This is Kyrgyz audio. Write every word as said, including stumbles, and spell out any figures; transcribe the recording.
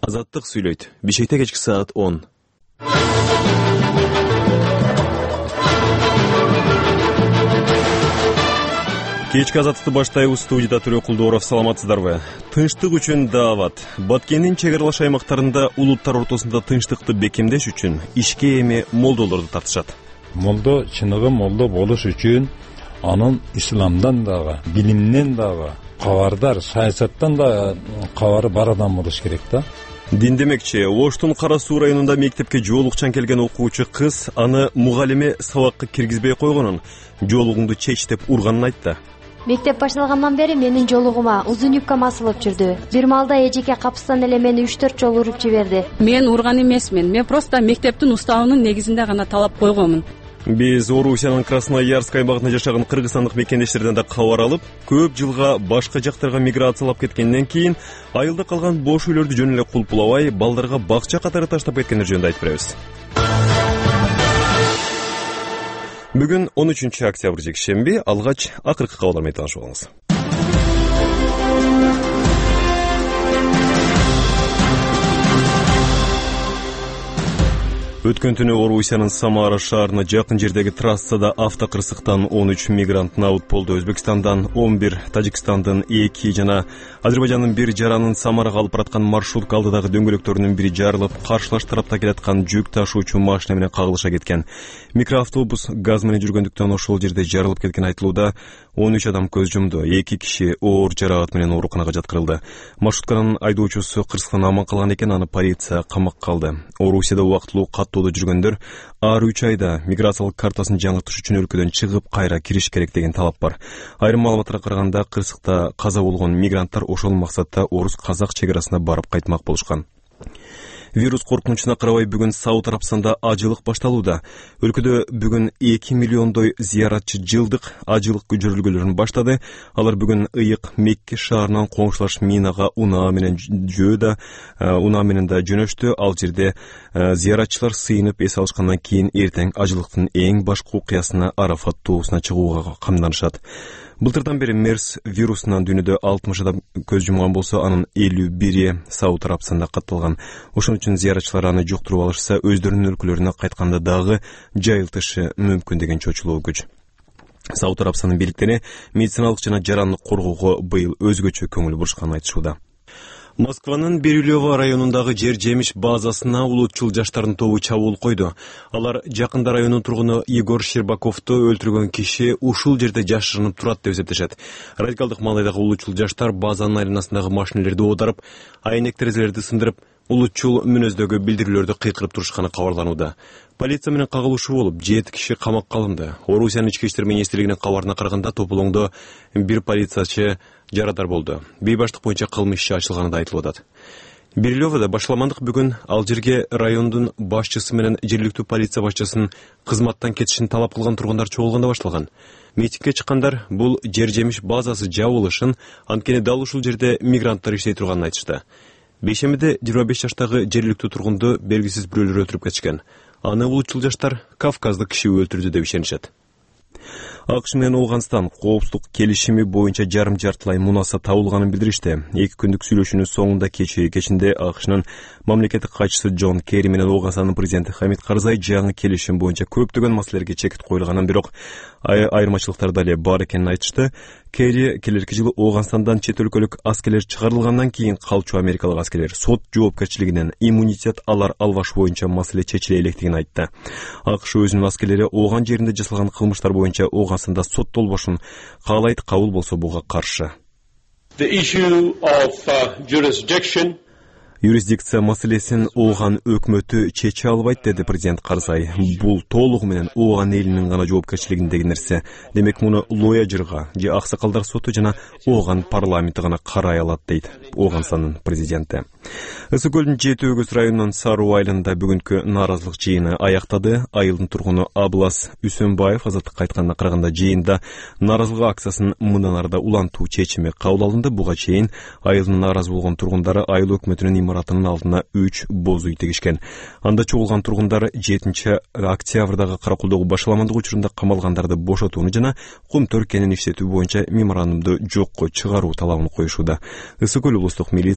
Азаттык сүйлөйт. Бишкекте кечки саат он. Кечки азаттыкты баштайбыз. Студияда Төлө Кулдууров. Саламатсыздарбы? Тынчтык үчүн даават. Баткендин чек аралаш аймактарында улуттар ортосунда тынчтыкты бекемдеш үчүн ишке эми молдолорду тартышат. Молдо чыныгы молдо болуш үчүн анын исламдан дагы, билимден дагы кабардар, саясаттан да кабары бар адам болуш керек да. Дин демекчи, Оштун Кара Суу районунда мектепке жоолукчан келген окуучу кыз аны мугалиме сабакка киргизбей койгонун, жоолугуңду чеч деп урганын айтты. Мектеп башталгандан бери менин жолугума узун юбкам асылып жүрдү. Бир малда эжеке капыстан эле мени үч төрт жолу уруп жиберди. Мен урган эмесмин. Мен просто мектептин уставынын негизинде гана талап койгонмун. Биз Орусиянын Красноярск аймагында жашаган кыргызстандык мекендештерден да кабар алып, көп жылга башка жактарга миграциялап кеткенден кийин айылда калган бош үйлөрдү жөн эле кулпулабай, балдарга бакча катары таштап кеткендер жөнүндө айтып беребиз. Бүгүн он үчүнчү октябрь жекшемби, алгач акыркы кабарлар менен таанышып алыңыз. Өткөн түнү Орусиянын Самара шаарына жакын жердеги трассада автокырсыктан он үч мигрант набыт болду. Өзбекстандан он бир, Тажикстандын эки жана Азербайжандын бир жаранын Самарага алып бараткан маршрутка алдыдагы дөңгөлөктөрүнүн бири жарылып, каршылаш тарапта келаткан жүк ташуучу машина менен кагылыша кеткен. Микроавтобус газ менен жүргөндүктөн ошол жерде жарылып кеткен айтылууда. он үч адам көз жумду, эки киши оор жаракат менен ооруканага жаткырылды. Маршрутканын айдоочусу кырсыктан аман калган экен, аны полиция камакка алды. Орусияда убактылуу каттоодо жүргөндөр ар үч айда миграциялык картасын жаңыртыш үчүн өлкөдөн чыгып, кайра кириш керек деген талап бар. Айрым маалыматтарга караганда, кырсыкта каза болгон мигранттар ошол максатта орус-казак чек арасына барып кайтмак болушкан. Вирус коркунучуна карабай бүгүн Сауд Арабстанда ажылык башталууда. Өлкөдө бүгүн эки миллиондой зыяратчы жылдык ажылык көчөрүлгөлөрүн баштады. Алар бүгүн ыйык Мекке шаарынан коңшулаш Минага унаа менен жөөдө, унаа менен да жөнөштү. Ал жерде зыяратчылар сыйынып эс алышкандан кийин эртең ажылыктын эң башкы окуясына Арафат тоосуна чыгууга камданышат. Былтырдан бери мерс вирусунан дүйнөдө алтымыш адам көз жумган болсо, анын элүү бири Сауд Арабстанда катталган. Ошон үчүн зыяратчылар аны жуктуруп алышса, өздөрүнүн өлкөлөрүнө кайтканда дагы жайылтышы мүмкүн деген чочулоо күч. Сауд Арабстандын бийликтери медициналык жана жарандык коргоого быйыл өзгөчө көңүл бурушканын айтышууда. Москванын Бирюлево районундагы жер жемиш базасына улутчул жаштардын тобу чабуул койду. Алар жакында райондун тургуну Егор Щербаковду өлтүргөн киши ушул жерде жашырынып турат деп эсептешет. Радикалдык маалайдагы улутчул жаштар базанын айланасындагы машинелерди оодарып, айнек терезелерди сындырып, улутчул мүнөздөгү билдирүүлөрдү кыйкырып турушканы кабарланууда. Полиция менен кагылышуу болуп, жети киши камакка алынды. Орусиянын ички иштер министрлигинин кабарына караганда, тополоңдо бир полициячы жарадар болду. Бейбаштык боюнча кылмыш иши ачылганы да айтылып атат. Бирюлевода башаламандык бүгүн ал жерге райондун башчысы менен жергиликтүү полиция башчысынын кызматтан кетишин талап кылган тургундар чогулганда башталган. Митингге чыккандар бул жер жемиш базасы жабылышын, анткени дал ушул жерде мигранттар иштей турганын айтышты. Бейшембиде жыйырма беш жаштагы жергиликтүү тургунду белгисиз бирөөлөр өлтүрүп кетишкен. Аны улутчул жаштар Кавказдык киши өлтүрдү деп ишенишет. АКШ менен Ооганстан коопсуздук келишими боюнча жарым жартылай мунаса табылганын билдиришти. Эки күндүк сүйлөшүүнүн соңунда кечээ кечинде АКШнын мамлекеттик катчысы Джон Керри менен Ооганстандын президенти Хамид Карзай жаңы келишим боюнча көптөгөн маселелерге чекит коюлганын, бирок айырмачылыктар дале бар экенин айтышты. Керри келерки жылы Ооганстандан чет өлкөлүк аскерлер чыгарылгандан кийин калчу америкалык аскерлер сот жоопкерчилигинен иммунитет алар албаш боюнча маселе чечиле электигин айтты. АКШ өзүнүн аскерлери Ооган жеринде жасалган кылмыштар боюнча Ооганстанда соттолбошун каалайт, кабыл болсо буга каршы. The issue of uh, jurisdiction Юрисдикция маселесин Ооган өкмөтү чече албайт, деди президент Карзай. Бул толугу менен Ооган элинин гана жоопкерчилигиндеги нерсе. Демек муну лояжырга же аксакалдар соту жана Ооган парламенти гана карай алат, дейт Ооганстандын президенти. Ысык көлдүн жети өгүз районунун Саруу айылында бүгүнкү нааразылык жыйыны аяктады. Айылдын тургуну Аблас Үсөнбаев азаттыкка айтканына караганда, жыйында нааразылык акциясын мындан арда улантуу чечими кабыл алынды. Буга чейин айылдын нааразы болгон тургундары айыл өкмөтүнүн имаратынын алдына үч боз үй тегишкен. Анда чогулган тургундар жетинчи октябрдагы Каракулдогу башаламандык учурунда камалгандарды бошотууну жана кум төркенин иштетүү боюнча меморандумду жокко чыгаруу талабын коюшууда. Ысык көл облустук милиция